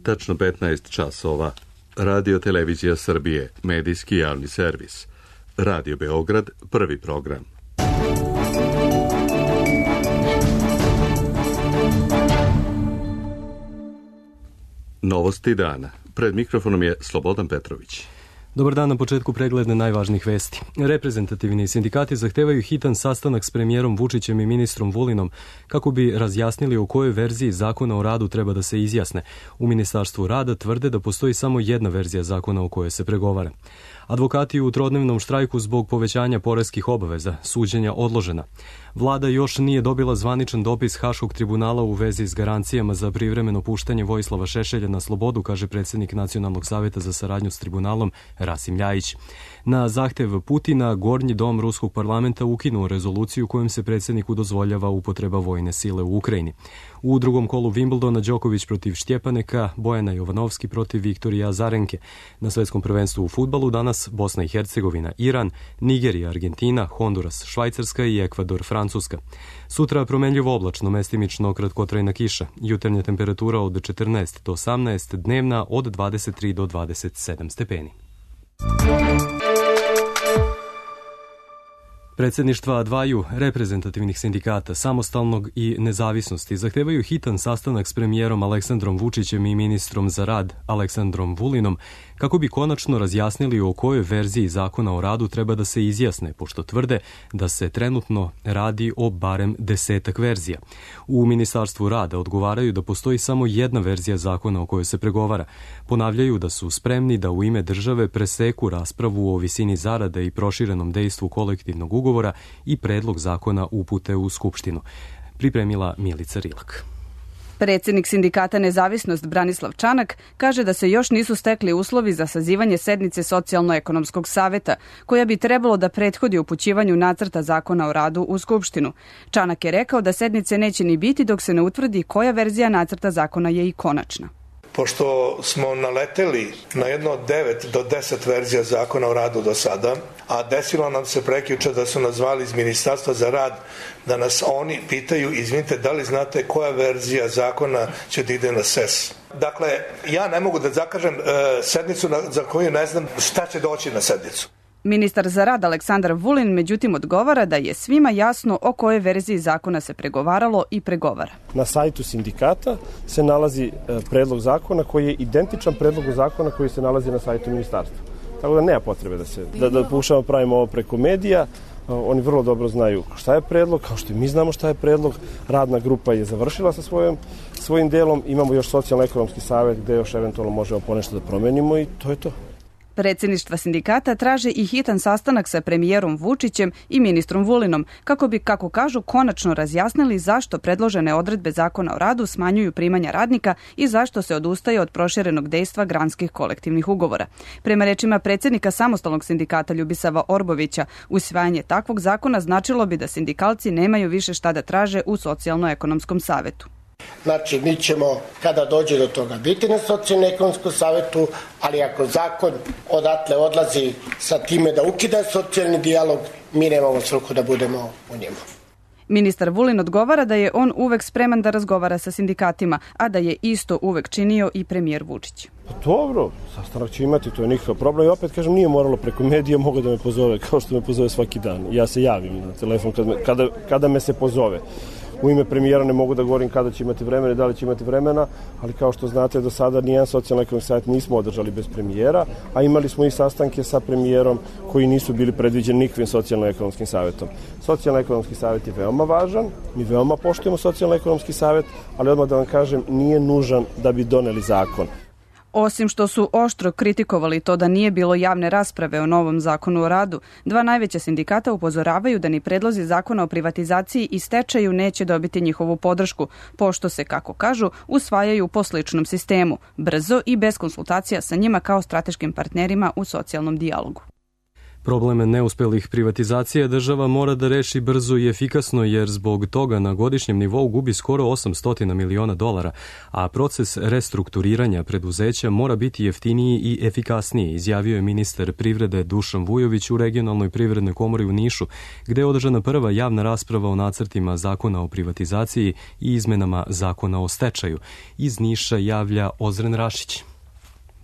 tačno 15 časova. Radio Televizija Srbije, medijski javni servis. Radio Beograd, prvi program. Novosti dana. Pred mikrofonom je Slobodan Petrović. Dobar dan, na početku pregleda najvažnijih vesti. Reprezentativni sindikati zahtevaju hitan sastanak s premijerom Vučićem i ministrom Vulinom kako bi razjasnili o kojoj verziji zakona o radu treba da se izjasne. U Ministarstvu rada tvrde da postoji samo jedna verzija zakona o kojoj se pregovara. Advokati u trodnevnom štrajku zbog povećanja poreskih obaveza, suđenja odložena. Vlada još nije dobila zvaničan dopis Haškog tribunala u vezi s garancijama za privremeno puštanje Vojislava Šešelja na slobodu, kaže predsjednik Nacionalnog saveta za saradnju s tribunalom Rasim Ljajić. Na zahtev Putina, Gornji dom Ruskog parlamenta ukinuo rezoluciju kojom se predsjedniku dozvoljava upotreba vojne sile u Ukrajini. U drugom kolu Wimbledona Đoković protiv Štjepaneka, Bojana Jovanovski protiv Viktorija Azarenke. Na svetskom prvenstvu u fudbalu danas Bosna i Hercegovina, Iran, Nigerija, Argentina, Honduras, Švajcarska i Ekvador, Francuska. Sutra promenljivo oblačno, mestimično kratkotrajna kiša. Jutarnja temperatura od 14 do 18, dnevna od 23 do 27 stepeni. Predsjedništva dvaju reprezentativnih sindikata, Samostalnog i Nezavisnosti, zahtevaju hitan sastanak s premijerom Aleksandrom Vučićem i ministrom za rad Aleksandrom Vulinom kako bi konačno razjasnili o kojoj verziji zakona o radu treba da se izjasne, pošto tvrde da se trenutno radi o barem 10 verzija. U Ministarstvu rada odgovaraju da postoji samo jedna verzija zakona o kojoj se pregovara. Ponavljaju da su spremni da u ime države preseku raspravu o visini zarada i proširenom dejstvu kolektivnog ugovora i predlog zakona upute u Skupštinu. Pripremila Milica Rilak. Predsjednik sindikata Nezavisnost Branislav Čanak kaže da se još nisu stekli uslovi za sazivanje sednice Socijalno-ekonomskog saveta, koja bi trebalo da prethodi upućivanju nacrta zakona o radu u Skupštinu. Čanak je rekao da sednice neće ni biti dok se ne utvrdi koja verzija nacrta zakona je i konačna. Pošto smo naleteli na jedno od 9 do 10 verzija zakona o radu do sada, a desilo nam se prekjuče da su nas zvali iz Ministarstva za rad da nas oni pitaju, izvinite, da li znate koja verzija zakona će da ide na SES. Dakle, ja ne mogu da zakažem sednicu za koju ne znam šta će doći na sednicu. Ministar za rad Aleksandar Vulin međutim odgovara da je svima jasno o kojoj verziji zakona se pregovaralo i pregovara. Na sajtu sindikata se nalazi predlog zakona koji je identičan predlogu zakona koji se nalazi na sajtu ministarstva. Tako da nema potrebe da pokušamo pravimo ovo preko medija. Oni vrlo dobro znaju šta je predlog, kao što i mi znamo šta je predlog. Radna grupa je završila sa svojim delom. Imamo još socijalno-ekonomski savet gde još eventualno možemo ponešto da promenimo i to je to. Predsjedništva sindikata traže i hitan sastanak sa premijerom Vučićem i ministrom Vulinom, kako bi, kako kažu, konačno razjasnili zašto predložene odredbe zakona o radu smanjuju primanja radnika i zašto se odustaje od proširenog dejstva granskih kolektivnih ugovora. Prema rečima predsjednika Samostalnog sindikata Ljubisava Orbovića, usvajanje takvog zakona značilo bi da sindikalci nemaju više šta da traže u Socijalno-ekonomskom savetu. Znači, mi ćemo, kada dođe do toga, biti na Socijalno-ekonomskom savetu, ali ako zakon odatle odlazi sa time da ukida socijalni dijalog, mi nemamo svrhu da budemo u njemu. Ministar Vulin odgovara da je on uvek spreman da razgovara sa sindikatima, a da je isto uvek činio i premijer Vučić. Dobro, sastanak će imati, to je nikakav problem. I opet kažem, nije moralo preko medija, mogu da me pozove, kao što me pozove svaki dan. Ja se javim na telefon kada me se pozove. U ime premijera ne mogu da govorim kada će imati vremena i da li će imati vremena, ali kao što znate, do sada nijedan socijalno-ekonomski savjet nismo održali bez premijera, a imali smo i sastanke sa premijerom koji nisu bili predviđeni nikakvim socijalno-ekonomskim savjetom. Socijalno-ekonomski savjet je veoma važan, mi veoma poštujemo socijalno-ekonomski savjet, ali odmah da vam kažem, nije nužan da bi doneli zakon. Osim što su oštro kritikovali to da nije bilo javne rasprave o novom zakonu o radu, dva najveća sindikata upozoravaju da ni predlozi zakona o privatizaciji i stečaju neće dobiti njihovu podršku, pošto se, kako kažu, usvajaju po sličnom sistemu, brzo i bez konsultacija sa njima kao strateškim partnerima u socijalnom dijalogu. Problem neuspelih privatizacija država mora da reši brzo i efikasno jer zbog toga na godišnjem nivou gubi skoro 800 miliona dolara, a proces restrukturiranja preduzeća mora biti jeftiniji i efikasniji, izjavio je ministar privrede Dušan Vujović u Regionalnoj privrednoj komori u Nišu, gde je održana prva javna rasprava o nacrtima zakona o privatizaciji i izmenama zakona o stečaju. Iz Niša javlja Ozren Rašić.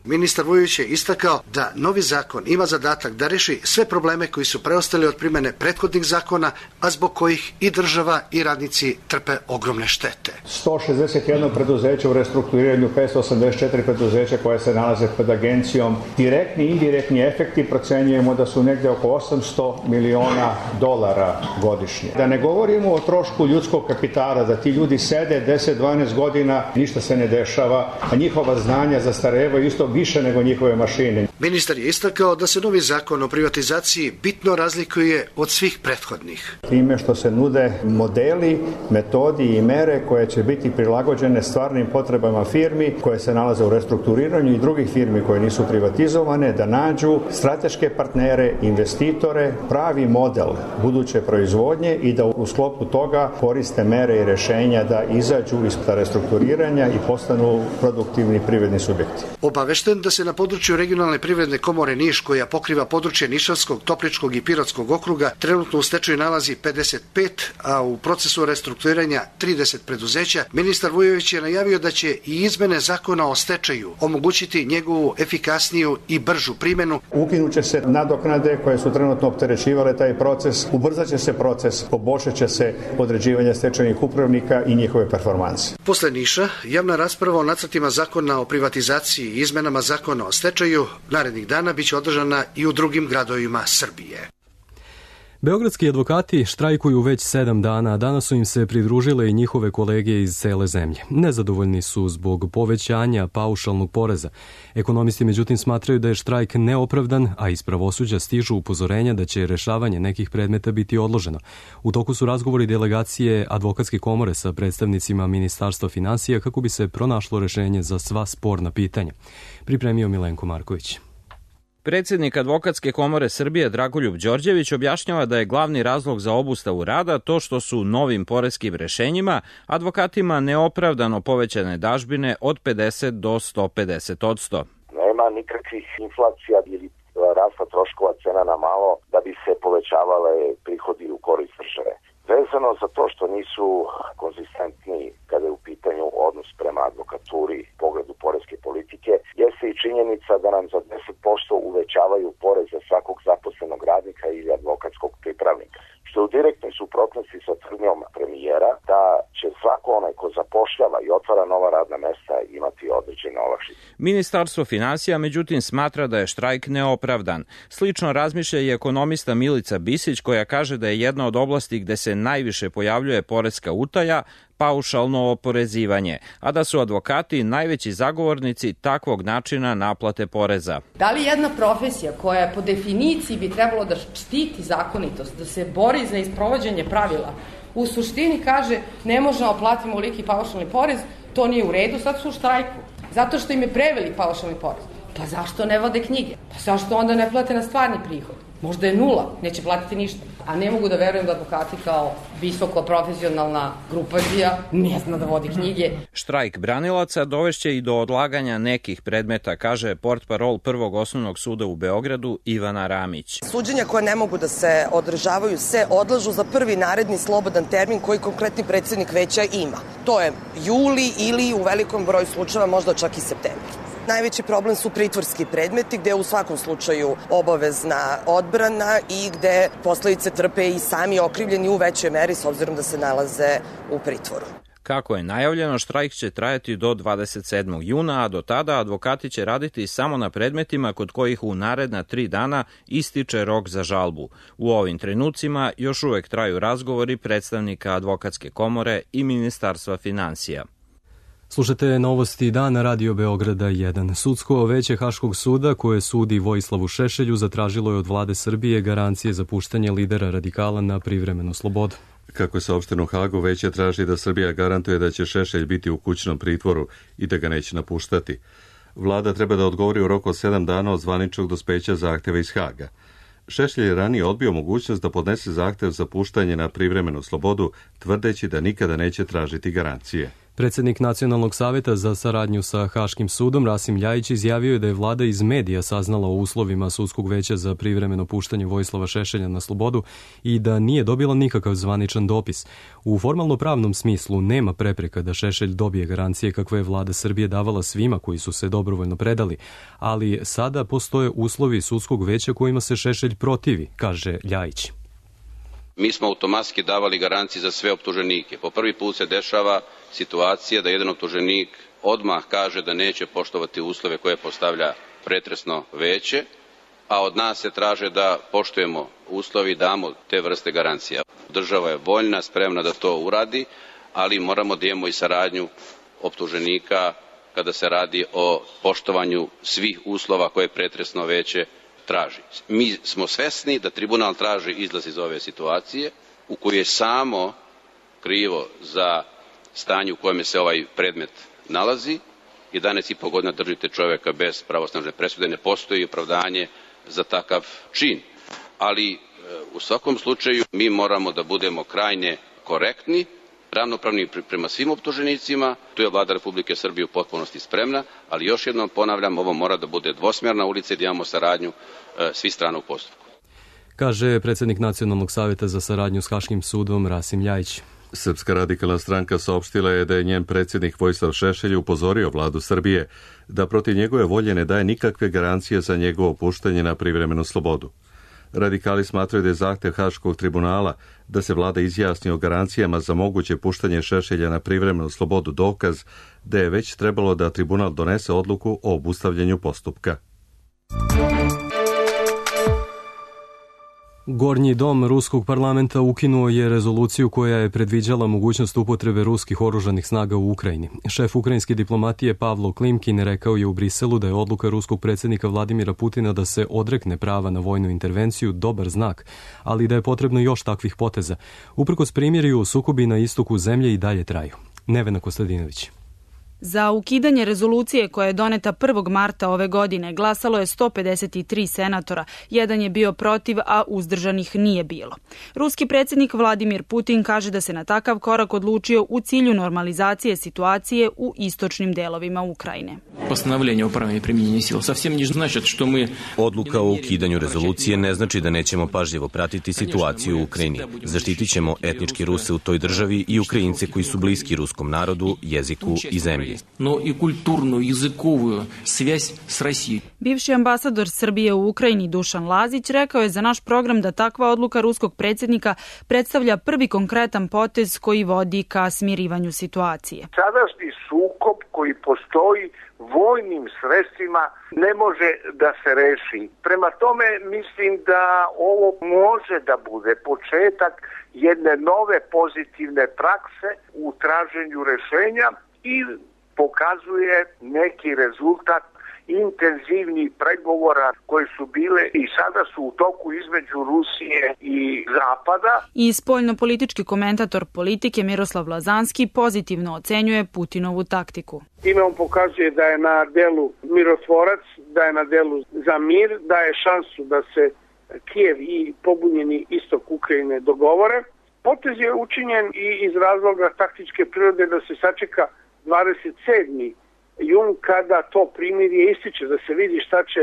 Ministar Vujović je istakao da novi zakon ima zadatak da reši sve probleme koji su preostali od primene prethodnih zakona, a zbog kojih i država i radnici trpe ogromne štete. 161 preduzeće u restrukturiranju, 584 preduzeća koje se nalaze pred agencijom. Direktni i indirektni efekti procenjujemo da su negde oko 800 miliona dolara godišnje. Da ne govorimo o trošku ljudskog kapitala, da ti ljudi sede 10-12 godina, ništa se ne dešava, a njihova znanja zastarevaju isto više nego njihove mašine. Ministar je istakao da se novi zakon o privatizaciji bitno razlikuje od svih prethodnih. Time što se nude modeli, metodi i mere koje će biti prilagođene stvarnim potrebama firmi koje se nalaze u restrukturiranju i drugih firmi koje nisu privatizovane, da nađu strateške partnere, investitore, pravi model buduće proizvodnje i da u sklopu toga koriste mere i rešenja da izađu iz restrukturiranja i postanu produktivni privredni subjekti. Obavešten da se na području Regionalne privredne komore Niš, koja pokriva područje Nišavskog, Topličkog i Pirotskog okruga, trenutno u stečaju nalazi 55, a u procesu restrukturiranja 30 preduzeća, ministar Vujović je najavio da će i izmene zakona o stečaju omogućiti njegovu efikasniju i bržu primenu. Ukinuće se nadoknade koje su trenutno opterećivale taj proces, ubrzaće se proces, poboljšat će se određivanje stečajnih upravnika i njihove performanse. Posle Niša, javna rasprava o nacrtima zakona o privatizaciji i izmenama zakona o stečaju narednih dana biće održana i u drugim gradovima Srbije. Beogradski advokati štrajkuju već 7 dana, a danas su im se pridružile i njihove kolege iz cele zemlje. Nezadovoljni su zbog povećanja paušalnog poreza. Ekonomisti međutim smatraju da je štrajk neopravdan, a iz pravosuđa stižu upozorenja da će rešavanje nekih predmeta biti odloženo. U toku su razgovori delegacije Advokatske komore sa predstavnicima Ministarstva finansija kako bi se pronašlo rešenje za sva sporna pitanja. Pripremio Milenko Marković. Predsjednik Advokatske komore Srbije Dragoljub Đorđević objašnjava da je glavni razlog za obustavu rada to što su novim poreskim rešenjima advokatima neopravdano povećane dažbine od 50 do 150%. Nema nikakvih inflacija ili rasta troškova cena na malo da bi se povećavale prihodi u korist države. Vezano za to što nisu konzistentni kada je u pitanju odnos prema advokaturi u pogledu poreske politike, jeste i činjenica da nam za 10% uvećavaju porez za svakog zaposlenog radnika ili advokatskog pripravnika, što je u direktnoj suprotnosti sa tvrdnjom premijera da će svako onaj ko zapošljava i otvara nova radna mesta imati određene olakšice. Ministarstvo finansija međutim smatra da je štrajk neopravdan. Slično razmišlja i ekonomista Milica Bisić, koja kaže da je jedna od oblasti gde se najviše pojavljuje poreska utaja paušalno oporezivanje, a da su advokati najveći zagovornici takvog načina naplate poreza. Da li jedna profesija koja po definiciji bi trebalo da štiti zakonitost, da se bori za isprovođenje pravila, u suštini kaže ne možemo platiti oliki paušalni porez, to nije u redu, sad su u štrajku. Zato što im je prevelik paušalni porez. Pa zašto ne vode knjige? Pa zašto onda ne plate na stvarni prihod? Možda je 0, neće platiti ništa. A ne mogu da verujem da advokati kao visoko profesionalna grupacija ne zna da vodi knjige. Štrajk branilaca dovešće i do odlaganja nekih predmeta, kaže portparol Prvog osnovnog suda u Beogradu Ivana Ramić. Suđenja koja ne mogu da se održavaju se odlažu za prvi naredni slobodan termin koji konkretni predsjednik veća ima. To je juli ili u velikom broju slučajeva možda čak i septembar. Najveći problem su pritvorski predmeti gde je u svakom slučaju obavezna odbrana i gde posledice trpe i sami okrivljeni u većoj meri s obzirom da se nalaze u pritvoru. Kako je najavljeno, štrajk će trajati do 27. juna, a do tada advokati će raditi samo na predmetima kod kojih u naredna 3 dana ističe rok za žalbu. U ovim trenucima još uvek traju razgovori predstavnika Advokatske komore i Ministarstva finansija. Slušate novosti dana Radio Beograda 1. Sudsko veće Haškog suda koje sudi Vojislavu Šešelju zatražilo je od vlade Srbije garancije za puštanje lidera radikala na privremenu slobodu. Kako je saopšteno u Hagu, veće traži da Srbija garantuje da će Šešelj biti u kućnom pritvoru i da ga neće napuštati. Vlada treba da odgovori u roku od 7 dana od zvaničnog dospeća zahteva iz Haga. Šešelj je ranije odbio mogućnost da podnese zahtev za puštanje na privremenu slobodu, tvrdeći da nikada neće tražiti garancije. Predsjednik Nacionalnog savjeta za saradnju sa Haškim sudom Rasim Ljajić izjavio je da je vlada iz medija saznala o uslovima sudskog veća za privremeno puštanje Vojislava Šešelja na slobodu i da nije dobila nikakav zvaničan dopis. U formalno-pravnom smislu nema prepreka da Šešelj dobije garancije kakve je vlada Srbije davala svima koji su se dobrovoljno predali, ali sada postoje uslovi sudskog veća kojima se Šešelj protivi, kaže Ljajić. Mi smo automatski davali garancije za sve optuženike. Po prvi put se dešava situacija da jedan optuženik odmah kaže da neće poštovati uslove koje postavlja pretresno veće, a od nas se traže da poštujemo uslovi i damo te vrste garancija. Država je voljna, spremna da to uradi, ali moramo da imamo i saradnju optuženika kada se radi o poštovanju svih uslova koje pretresno veće traži. Mi smo svesni da tribunal traži izlaz iz ove situacije u kojoj je samo krivo za stanje u kojem se ovaj predmet nalazi. 11,5 godina držite čovjeka bez pravosnažne presude, ne postoji opravdanje za takav čin. Ali u svakom slučaju mi moramo da budemo krajnje korektni, ravnopravni prema svim optuženicima. Tu je vlada Republike Srbije u potpunosti spremna, ali još jednom ponavljam, ovo mora da bude dvosmjerna ulica i da imamo saradnju svih strana u postupku. Kaže predsjednik Nacionalnog savjeta za saradnju s Haškim sudom Rasim Ljajić. Srpska radikalna stranka saopštila je da je njen predsjednik Vojislav Šešelj upozorio vladu Srbije da protiv njegove volje ne daje nikakve garancije za njegovo puštanje na privremenu slobodu. Radikali smatraju da je zahtev Haškog tribunala da se vlada izjasni o garancijama za moguće puštanje Šešelja na privremenu slobodu dokaz da je već trebalo da tribunal donese odluku o obustavljanju postupka. Gornji dom Ruskog parlamenta ukinuo je rezoluciju koja je predviđala mogućnost upotrebe ruskih oružanih snaga u Ukrajini. Šef ukrajinske diplomatije Pavlo Klimkin rekao je u Briselu da je odluka ruskog predsjednika Vladimira Putina da se odrekne prava na vojnu intervenciju dobar znak, ali da je potrebno još takvih poteza. Uprkos primjerju, sukobi na istoku zemlje i dalje traju. Nevena Kostadinović. Za ukidanje rezolucije koja je doneta 1. marta ove godine glasalo je 153 senatora, jedan je bio protiv, a uzdržanih nije bilo. Ruski predsjednik Vladimir Putin kaže da se na takav korak odlučio u cilju normalizacije situacije u istočnim delovima Ukrajine. Odluka o ukidanju rezolucije ne znači da nećemo pažljivo pratiti situaciju u Ukrajini. Zaštitit ćemo etnički Ruse u toj državi i Ukrajince koji su bliski ruskom narodu, jeziku i zemlji. Bivši ambasador Srbije u Ukrajini Dušan Lazić rekao je za naš program da takva odluka ruskog predsjednika predstavlja prvi konkretan potez koji vodi ka smirivanju situacije. Sadašnji sukob koji postoji vojnim sredstvima ne može da se reši. Prema tome mislim da ovo može da bude početak jedne nove pozitivne prakse u traženju rešenja i pokazuje neki rezultat intenzivnih pregovora koji su bile i sada su u toku između Rusije i Zapada. I spoljno-politički komentator Politike Miroslav Lazanski pozitivno ocenjuje Putinovu taktiku. Time on pokazuje da je na delu mirotvorac, da je na delu za mir, da je šansu da se Kijev i pobunjeni istok Ukrajine dogovore. Potez je učinjen i iz razloga taktičke prirode da se sačeka 27. jun kada to primirje ističe, da se vidi šta će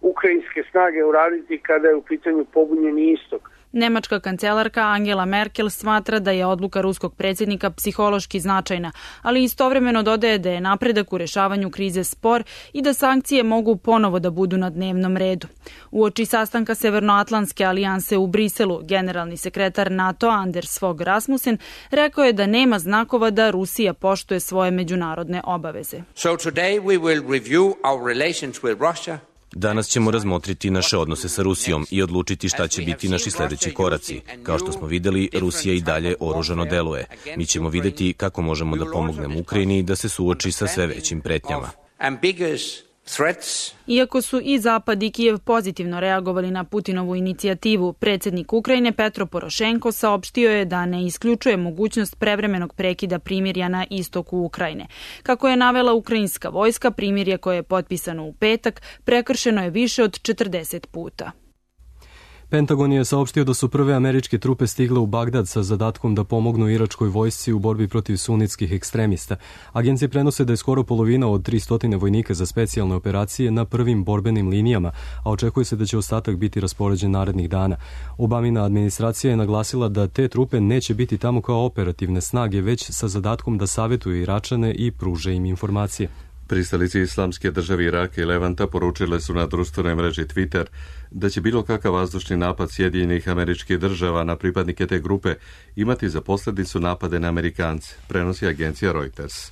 ukrajinske snage uraditi kada je u pitanju pobunjeni istok. Nemačka kancelarka Angela Merkel smatra da je odluka ruskog predsjednika psihološki značajna, ali istovremeno dodaje da je napredak u rešavanju krize spor i da sankcije mogu ponovo da budu na dnevnom redu. Uoči sastanka Severnoatlantske alijanse u Briselu, generalni sekretar NATO Anders Fogh Rasmussen rekao je da nema znakova da Rusija poštuje svoje međunarodne obaveze. So today we will review our relations with Russia. Danas ćemo razmotriti naše odnose sa Rusijom i odlučiti šta će biti naši sljedeći koraci. Kao što smo vidjeli, Rusija i dalje oružano deluje. Mi ćemo vidjeti kako možemo da pomognemo Ukrajini da se suoči sa sve većim pretnjama. Iako su i Zapad i Kijev pozitivno reagovali na Putinovu inicijativu, predsjednik Ukrajine Petro Porošenko saopštio je da ne isključuje mogućnost prevremenog prekida primirja na istoku Ukrajine. Kako je navela ukrajinska vojska, primirje koje je potpisano u petak prekršeno je više od 40 puta. Pentagon je saopštio da su prve američke trupe stigle u Bagdad sa zadatkom da pomognu iračkoj vojsci u borbi protiv sunitskih ekstremista. Agencije prenose da je skoro polovina od 300 vojnika za specijalne operacije na prvim borbenim linijama, a očekuje se da će ostatak biti raspoređen narednih dana. Obamina administracija je naglasila da te trupe neće biti tamo kao operativne snage, već sa zadatkom da savjetuju Iračane i pruže im informacije. Pristalice Islamske države Iraka i Levanta poručile su na društvenoj mreži Twitter da će bilo kakav vazdušni napad Sjedinjenih Američkih Država na pripadnike te grupe imati za posljedicu napade na Amerikance, prenosi agencija Reuters.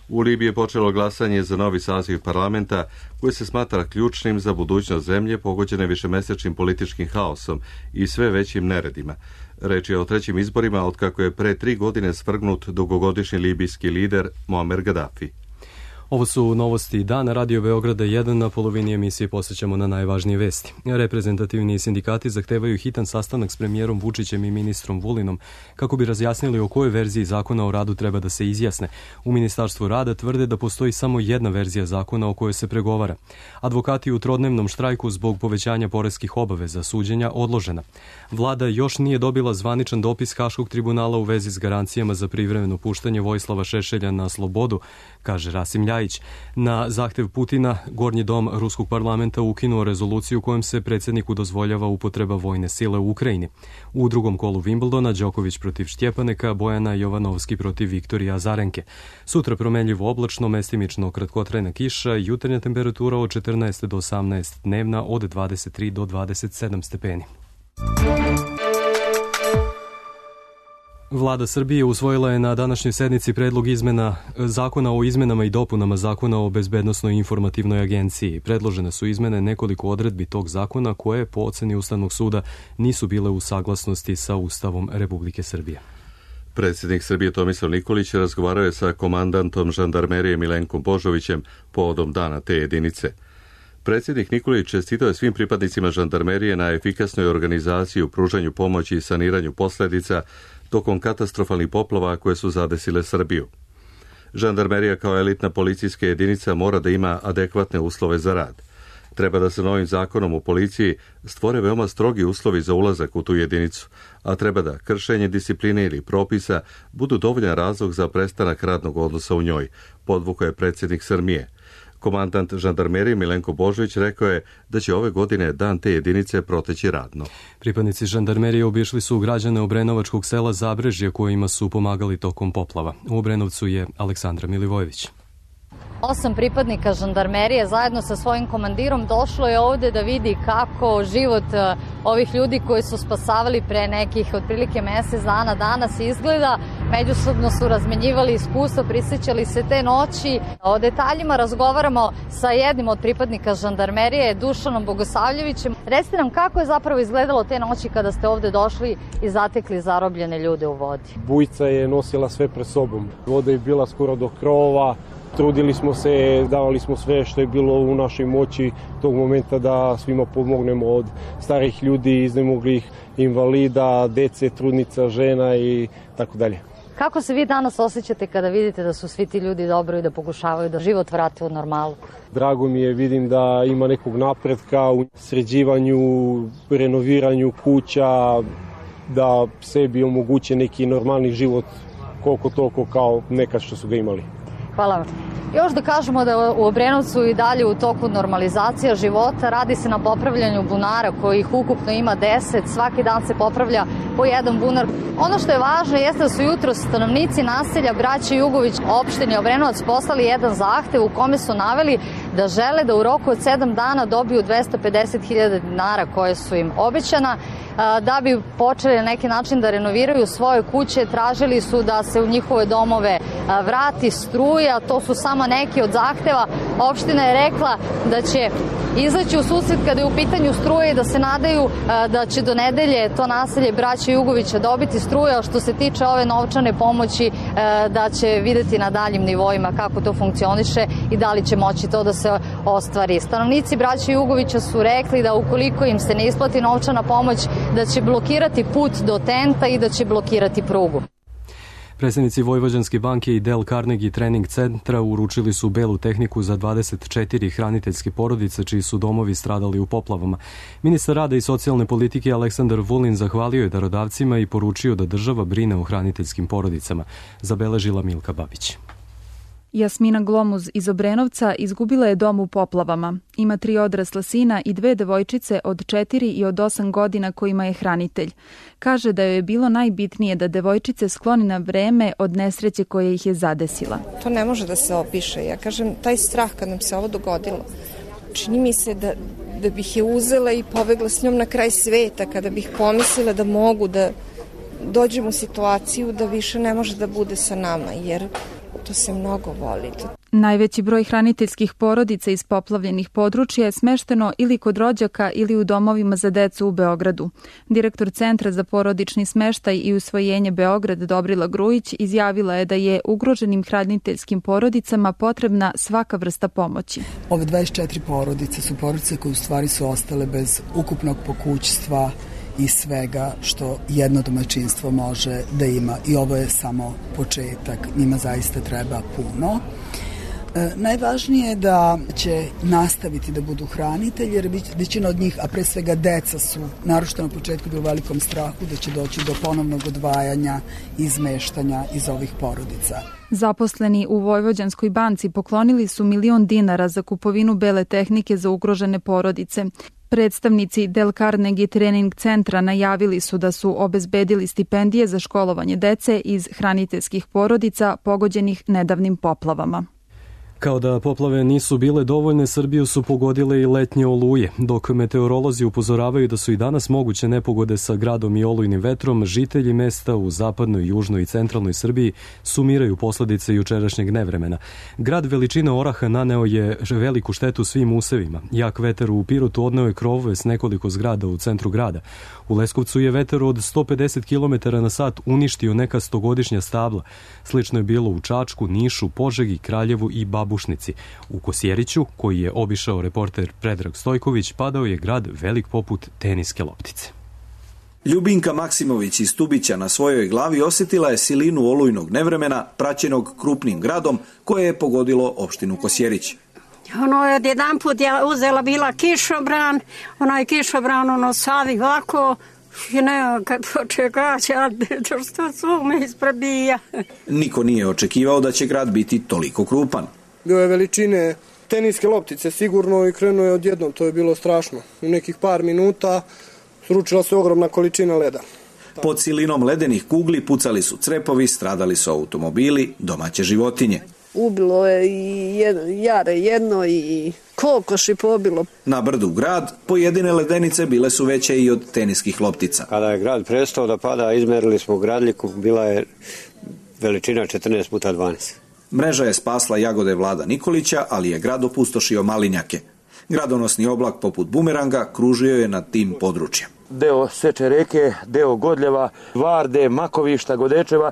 U Libiji je počelo glasanje za novi saziv parlamenta koji se smatra ključnim za budućnost zemlje pogođene višemesečnim političkim haosom i sve većim neredima. Reč je o trećim izborima otkako je pre 3 godine svrgnut dugogodišnji libijski lider Muammar Gaddafi. Ovo su novosti dana Radio Beograda 1. Na polovini emisije posjećamo na najvažnije vesti. Reprezentativni sindikati zahtevaju hitan sastanak s premijerom Vučićem i ministrom Vulinom kako bi razjasnili o kojoj verziji zakona o radu treba da se izjasne. U Ministarstvu rada tvrde da postoji samo jedna verzija zakona o kojoj se pregovara. Advokati u trodnevnom štrajku zbog povećanja poreskih obaveza suđenja odložena. Vlada još nije dobila zvaničan dopis Haškog tribunala u vezi s garancijama za privremeno puštanje Vojislava Šešelja na slobodu, kaže Rasim Ljajić. Na zahtev Putina, Gornji dom Ruskog parlamenta ukinuo rezoluciju kojom se predsjedniku dozvoljava upotreba vojne sile u Ukrajini. U drugom kolu Wimbledona Đoković protiv Štjepaneka, Bojana Jovanovski protiv Viktorija Azarenke. Sutra promenljivo oblačno, mestimično kratkotrajna kiša, jutarnja temperatura od 14 do 18, dnevna od 23 do 27 stepeni. Vlada Srbije usvojila je na današnjoj sednici predlog izmena zakona o izmenama i dopunama zakona o bezbednosnoj informativnoj agenciji. Predložene su izmene nekoliko odredbi tog zakona koje po oceni Ustavnog suda nisu bile u saglasnosti sa Ustavom Republike Srbije. Predsjednik Srbije Tomislav Nikolić razgovarao je sa komandantom žandarmerije Milenkom Božovićem povodom dana te jedinice. Predsjednik Nikolić čestitao je svim pripadnicima žandarmerije na efikasnoj organizaciji u pružanju pomoći i saniranju posljedica tokom katastrofalnih poplava koje su zadesile Srbiju. Žandarmerija kao elitna policijska jedinica mora da ima adekvatne uslove za rad. Treba da se novim zakonom u policiji stvore veoma strogi uslovi za ulazak u tu jedinicu, a treba da kršenje discipline ili propisa budu dovoljan razlog za prestanak radnog odnosa u njoj, podvukao je predsjednik Srbije. Komandant žandarmerije Milenko Božović rekao je da će ove godine dan te jedinice proteći radno. Pripadnici žandarmerije obišli su građane obrenovačkog sela Zabrežje kojima su pomagali tokom poplava. U Obrenovcu je Aleksandra Milivojević. 8 pripadnika žandarmerije zajedno sa svojim komandirom došlo je ovde da vidi kako život ovih ljudi koji su spasavali pre nekih otprilike mesec dana danas izgleda. Međusobno su razmenjivali iskustva, prisjećali se te noći. O detaljima razgovaramo sa jednim od pripadnika žandarmerije, Dušanom Bogosavljevićem. Recite nam kako je zapravo izgledalo te noći kada ste ovde došli i zatekli zarobljene ljude u vodi. Bujica je nosila sve pred sobom. Voda je bila skoro do krovova. Trudili smo se, davali smo sve što je bilo u našoj moći tog momenta da svima pomognemo, od starih ljudi, iznemoglih, invalida, dece, trudnica, žena i tako dalje. Kako se vi danas osjećate kada vidite da su svi ti ljudi dobro i da pokušavaju da život vrate u normalu? Drago mi je, vidim da ima nekog napretka u sređivanju, renoviranju kuća, da sebi omoguće neki normalni život koliko toliko kao nekad što su ga imali. Hvala vam. Još da kažemo da u Obrenovcu i dalje u toku normalizacija života, radi se na popravljanju bunara kojih ukupno ima 10, svaki dan se popravlja po jedan bunar. Ono što je važno jeste da su jutros stanovnici naselja Braće Jugović opštine Obrenovac poslali jedan zahtev u kome su naveli da žele da u roku od 7 dana dobiju 250.000 dinara koje su im obećana. Da bi počeli na neki način da renoviraju svoje kuće, tražili su da se u njihove domove vrati struja, to su samo neki od zahteva. Opština je rekla da će izaći u susret kada je u pitanju struje i da se nadaju da će do nedelje to naselje Braće Jugovića dobiti struja, a što se tiče ove novčane pomoći da će videti na daljim nivoima kako to funkcioniše i da li će moći to da se ostvari. Stanovnici Braće Jugovića su rekli da ukoliko im se ne isplati novčana pomoć, da će blokirati put do tenta i da će blokirati prugu. Predstavnici Vojvođanske banke i Dale Carnegie trening centra uručili su belu tehniku za 24 hraniteljske porodice čiji su domovi stradali u poplavama. Ministar rada i socijalne politike Aleksandar Vulin zahvalio je darodavcima i poručio da država brine o hraniteljskim porodicama. Zabeležila Milka Babić. Jasmina Glomuz iz Obrenovca izgubila je dom u poplavama. Ima 3 odrasla sina i 2 devojčice od 4 i od 8 godina kojima je hranitelj. Kaže da joj je bilo najbitnije da devojčice skloni na vreme od nesreće koja ih je zadesila. To ne može da se opiše. Ja kažem, taj strah kad nam se ovo dogodilo, čini mi se da bih je uzela i pobegla s njom na kraj sveta, kada bih pomislila da mogu da dođem u situaciju da više ne može da bude sa nama, jer to se mnogo voli. Najveći broj hraniteljskih porodica iz poplavljenih područja je smešteno ili kod rođaka ili u domovima za decu u Beogradu. Direktor Centra za porodični smeštaj i usvojenje Beograd Dobrila Grujić izjavila je da je ugroženim hraniteljskim porodicama potrebna svaka vrsta pomoći. Ove 24 porodice su porodice koje u stvari su ostale bez ukupnog pokućstva i svega što jedno domaćinstvo može da ima. I ovo je samo početak. Njima zaista treba puno. Najvažnije je da će nastaviti da budu hranitelji, jer većina od njih, a pre svega deca su, naročito na početku, u velikom strahu da će doći do ponovnog odvajanja i izmeštanja iz ovih porodica. Zaposleni u Vojvođanskoj banci poklonili su 1 milion dinara za kupovinu bele tehnike za ugrožene porodice. Predstavnici Dale Carnegie trening centra najavili su da su obezbedili stipendije za školovanje dece iz hraniteljskih porodica pogođenih nedavnim poplavama. Kao da poplave nisu bile dovoljne, Srbiju su pogodile i letnje oluje. Dok meteorolozi upozoravaju da su i danas moguće nepogode sa gradom i olujnim vetrom, žitelji mesta u zapadnoj, južnoj i centralnoj Srbiji sumiraju posledice jučerašnjeg nevremena. Grad veličine oraha naneo je veliku štetu svim usevima. Jak vetar u Pirotu odneo je krovove s nekoliko zgrada u centru grada. U Leskovcu je vetar od 150 km na sat uništio neka 100-godišnja stabla. Slično je bilo u Čačku, Nišu, Požegi, Kraljevu i Babušnici. U Kosjeriću, koji je obišao reporter Predrag Stojković, padao je grad velik poput teniske loptice. Ljubinka Maksimović iz Tubića na svojoj glavi osjetila je silinu olujnog nevremena praćenog krupnim gradom koje je pogodilo opštinu Kosjerić. Jedan put je uzela bila kišobran, onaj kišobran savi ovako, i ne, kad počekaće, što su me isprabija. Niko nije očekivao da će grad biti toliko krupan. Bio je veličine teniske loptice sigurno i krenuo je odjednom, to je bilo strašno. U nekih par minuta sručila se ogromna količina leda. Pod silinom ledenih kugli pucali su crepovi, stradali su automobili, domaće životinje. Ubilo je i jare jedno i kokoši pobilo. Na brdu grad pojedine ledenice bile su veće i od teniskih loptica. Kada je grad prestao da pada, izmerili smo gradljiku, bila je veličina 14x12. Mreža je spasla jagode Vlada Nikolića, ali je grad opustošio malinjake. Gradonosni oblak poput bumeranga kružio je nad tim područjem. Deo Seče reke, deo Godljeva, Varde, Makovišta, Godečeva,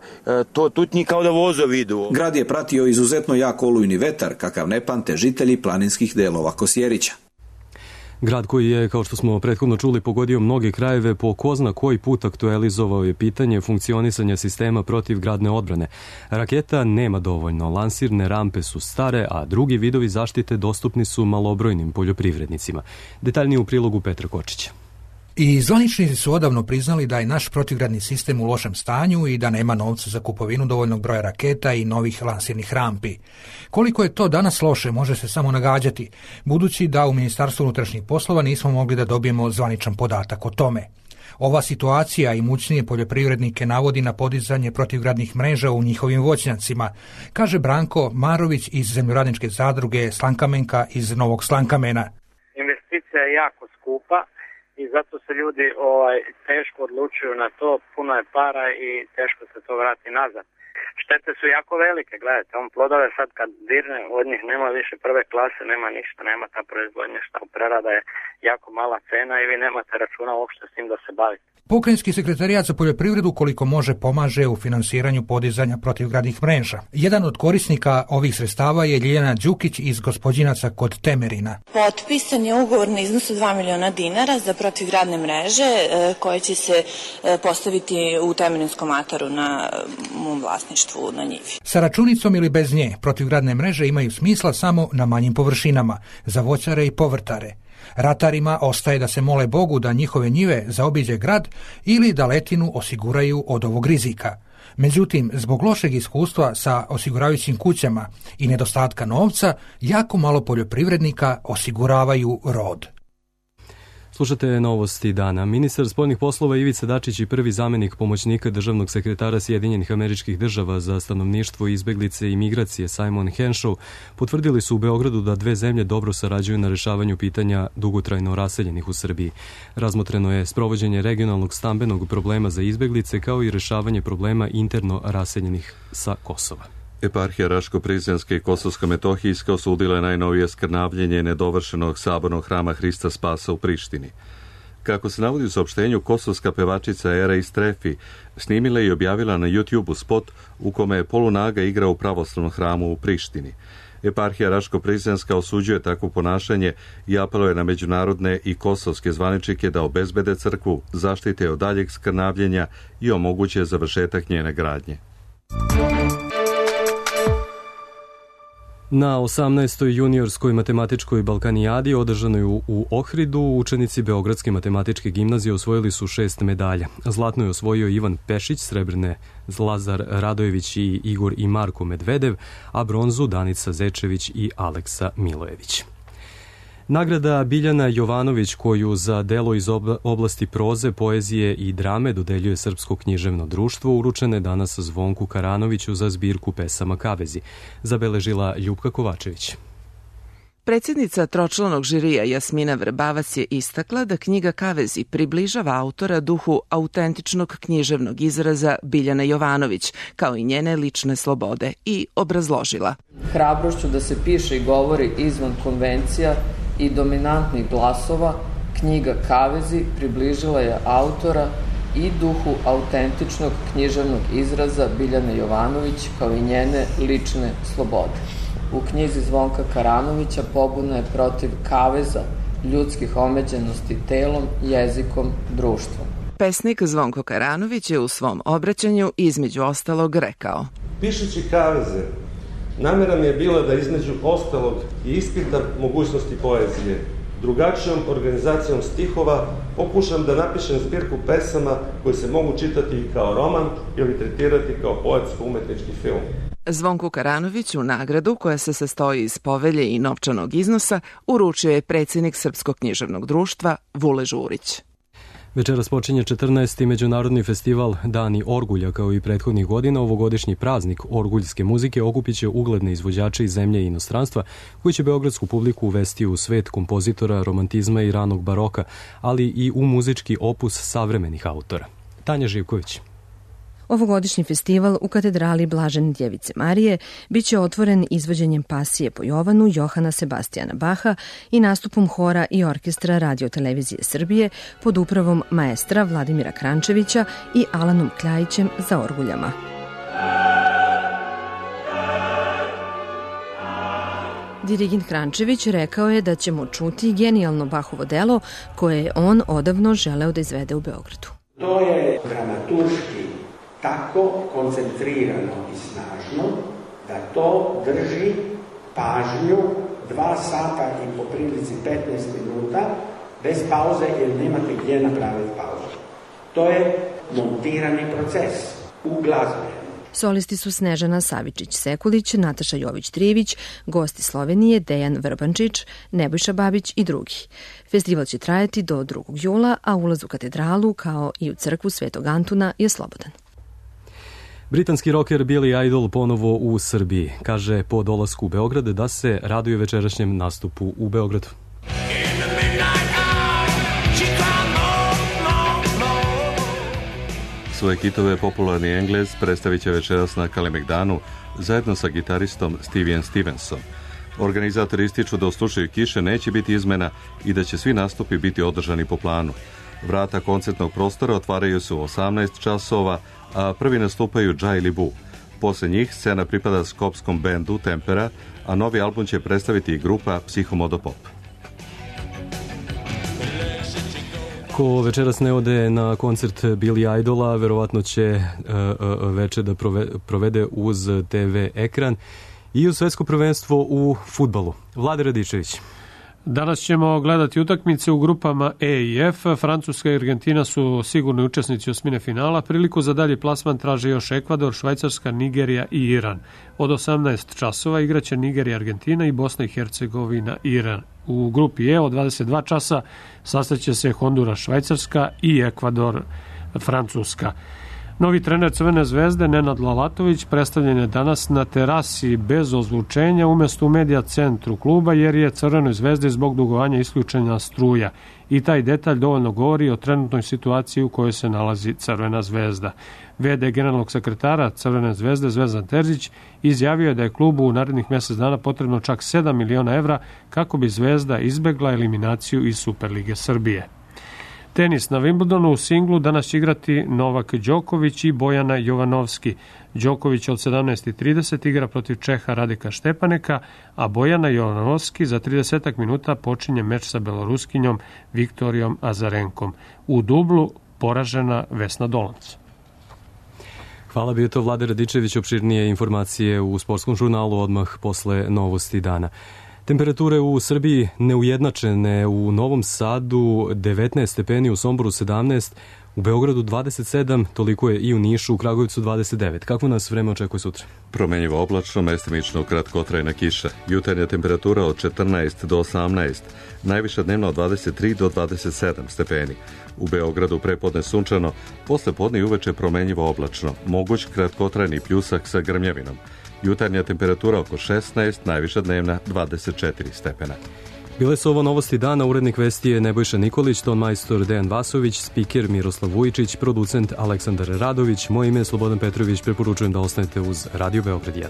to tutnji kao da vozovi idu. Grad je pratio izuzetno jak olujni vetar, kakav ne pamte žitelji planinskih delova Kosjerića. Grad koji je, kao što smo prethodno čuli, pogodio mnoge krajeve, po ko zna koji put aktualizovao je pitanje funkcionisanja sistema protivgradne odbrane. Raketa nema dovoljno, lansirne rampe su stare, a drugi vidovi zaštite dostupni su malobrojnim poljoprivrednicima. Detaljnije u prilogu Petra Kočića. I zvaničnici su odavno priznali da je naš protivgradni sistem u lošem stanju i da nema novca za kupovinu dovoljnog broja raketa i novih lansirnih rampi. Koliko je to danas loše može se samo nagađati, budući da u Ministarstvu unutrašnjih poslova nismo mogli da dobijemo zvaničan podatak o tome. Ova situacija imućnije poljoprivrednike navodi na podizanje protivgradnih mreža u njihovim voćnjacima, kaže Branko Marović iz zemljoradničke zadruge Slankamenka iz Novog Slankamena. Investicija je jako skupa i zato se ljudi teško odlučuju na to, puno je para i teško se to vrati nazad. Štete su jako velike, gledajte, plodove sad kad dirne, od njih nema više prve klase, nema ništa, nema ta proizvodnja, šta prerada je jako mala cena i vi nemate računa uopšte s tim da se bavite. Pokrajinski sekretarijat za poljoprivredu koliko može pomaže u finansiranju podizanja protivgradnih mreža. Jedan od korisnika ovih sredstava je Ljiljana Đukić iz Gospođinaca kod Temerina. Potpisan je ugovor na iznosu 2 miliona dinara za protivgradne mreže koje će se postaviti u Temerinskom ataru na mom vlasništvu. vlasništvu na njivi. Sa računicom ili bez nje, protivgradne mreže imaju smisla samo na manjim površinama, za voćare i povrtare. Ratarima ostaje da se mole Bogu da njihove njive zaobiđe grad ili da letinu osiguraju od ovog rizika. Međutim, zbog lošeg iskustva sa osiguravajućim kućama i nedostatka novca, jako malo poljoprivrednika osiguravaju rod. Slušate novosti dana. Ministar spoljnih poslova Ivica Dačić i prvi zamenik pomoćnika državnog sekretara Sjedinjenih Američkih Država za stanovništvo, izbeglice i migracije Simon Henshaw potvrdili su u Beogradu da dve zemlje dobro sarađuju na rešavanju pitanja dugotrajno raseljenih u Srbiji. Razmotreno je sprovođenje regionalnog stambenog problema za izbeglice kao i rešavanje problema interno raseljenih sa Kosova. Eparhija Raško-Prizrenska i Kosovsko-Metohijska osudila je najnovije skrnavljenje nedovršenog sabornog hrama Hrista Spasa u Prištini. Kako se navodi u saopštenju, kosovska pevačica Era Istrefi snimila i objavila na YouTube-u spot u kome je polunaga igra u pravoslavnom hramu u Prištini. Eparhija Raško-Prizrenska osuđuje takvo ponašanje i apeluje na međunarodne i kosovske zvaničnike da obezbede crkvu, zaštite od daljeg skrnavljenja i omoguće završetak njene gradnje. Na 18. juniorskoj matematičkoj Balkanijadi održanoj u Ohridu učenici Beogradske matematičke gimnazije osvojili su 6 medalja. Zlatno je osvojio Ivan Pešić, srebrne Lazar Radojević i Igor i Marko Medvedev, a bronzu Danica Zečević i Aleksa Milojević. Nagrada Biljana Jovanović, koju za delo iz oblasti proze, poezije i drame dodeljuje Srpsko književno društvo, uručena je danas Zvonku Karanoviću za zbirku pesama Kavezi, zabeležila Ljupka Kovačević. Predsjednica tročlanog žirija Jasmina Vrbavac je istakla da knjiga Kavezi približava autora duhu autentičnog književnog izraza Biljana Jovanović, kao i njene lične slobode, i obrazložila. Hrabrošću da se piše i govori izvan konvencija i dominantnih glasova, knjiga Kavezi približila je autora i duhu autentičnog književnog izraza Biljane Jovanović, kao i njene lične slobode. U knjizi Zvonka Karanovića pobuna je protiv kaveza ljudskih omeđenosti telom, jezikom, društvom. Pesnik Zvonko Karanović je u svom obraćanju između ostalog rekao: Pišući kaveze, namera mi je bila da između ostalog i ispitam mogućnosti poezije. Drugačijom organizacijom stihova pokušam da napišem zbirku pesama koje se mogu čitati kao roman ili tretirati kao poetsko-umetnički film. Zvonku Karanoviću nagradu, koja se sastoji iz povelje i novčanog iznosa, uručio je predsjednik Srpskog književnog društva Vule Žurić. Večeras počinje 14. međunarodni festival Dani Orgulja. Kao i prethodnih godina, ovogodišnji praznik orguljske muzike okupit će ugledne izvođače iz zemlje i inostranstva, koji će beogradsku publiku uvesti u svet kompozitora, romantizma i ranog baroka, ali i u muzički opus savremenih autora. Tanja Živković. Ovogodišnji festival u katedrali Blažene Djevice Marije biće otvoren izvođenjem pasije po Jovanu Johana Sebastijana Baha i nastupom hora i orkestra Radio-televizije Srbije pod upravom maestra Vladimira Krančevića i Alanom Kljajićem za orguljama. Dirigent Krančević rekao je da ćemo čuti genijalno Bahovo delo koje je on odavno želeo da izvede u Beogradu. To je dramaturški tako koncentrirano i snažno da to drži pažnju 2 sata i po prilici 15 minuta bez pauze, jer nemate gdje napraviti pauzu. To je montirani proces u glazbi. Solisti su Snežana Savičić-Sekulić, Nataša Jović-Trivić, gosti Slovenije Dejan Vrbančić, Nebojša Babić i drugi. Festival će trajati do 2. jula, a ulaz u katedralu, kao i u crkvu Svetog Antuna, je slobodan. Britanski roker Billy Idol ponovo u Srbiji. Kaže po dolasku u Beograd da se raduje večerašnjem nastupu u Beogradu. Svoje hitove popularni Englez predstavit će večeras na Kalemegdanu zajedno sa gitaristom Steven Stevensom. Organizatori ističu da u slučaju kiše neće biti izmena i da će svi nastupi biti održani po planu. Vrata koncertnog prostora otvaraju se u 18 časova, a prvi nastupaju Jai Libu. Posle njih scena pripada skopskom bendu Tempera, a novi album će predstaviti i grupa Psihomodopop. Ko večeras ne ode na koncert Billy Idola, verovatno će večer da provede uz TV ekran i uz svetsko prvenstvo u fudbalu. Vlade Radičević. Danas ćemo gledati utakmice u grupama E i F. Francuska i Argentina su sigurni učesnici osmine finala. Priliku za dalji plasman traže još Ekvador, Švajcarska, Nigerija i Iran. Od 18 časova igraće Nigerija, Argentina i Bosna i Hercegovina, Iran. U grupi E od 22 časa sastaće se Honduras, Švajcarska i Ekvador, Francuska. Novi trener Crvene zvezde, Nenad Lalatović, predstavljen je danas na terasi bez ozvučenja umesto u medija centru kluba, jer je Crvenoj zvezdi zbog dugovanja isključena struja. I taj detalj dovoljno govori o trenutnoj situaciji u kojoj se nalazi Crvena zvezda. VD generalnog sekretara Crvene zvezde, Zvezdan Terzić, izjavio je da je klubu u narednih mjesec dana potrebno čak 7 miliona evra kako bi Zvezda izbegla eliminaciju iz Superlige Srbije. Tenis na Wimbledonu u singlu danas će igrati Novak Đoković i Bojana Jovanovski. Đoković od 17:30 igra protiv Čeha Radika Štepaneka, a Bojana Jovanovski za 30 minuta počinje meč sa Beloruskinjom Viktorijom Azarenkom. U dublu poražena Vesna Dolanc. Hvala, bio to Vlade Radičević, opširnije informacije u sportskom žurnalu odmah posle novosti dana. Temperature u Srbiji neujednačene, u Novom Sadu 19 stepeni, u Somboru 17, u Beogradu 27, toliko je i u Nišu, u Kragujevcu 29. Kako nas vreme očekuje sutra? Promenjivo oblačno, mestimično kratkotrajna kiša. Jutarnja temperatura od 14 do 18, najviša dnevna od 23 do 27 stepeni. U Beogradu prepodne sunčano, posle podne i uveče promenjivo oblačno, moguć kratkotrajni pljusak sa grmljavinom. Jutarnja temperatura oko 16, najviša dnevna 24 stepena. Bile su ovo novosti dana, urednik vesti je Nebojša Nikolić, ton majstor Dejan Vasović, spiker Miroslav Vujičić, producent Aleksandar Radović, moje ime je Slobodan Petrović, preporučujem da ostanete uz Radio Beograd 1.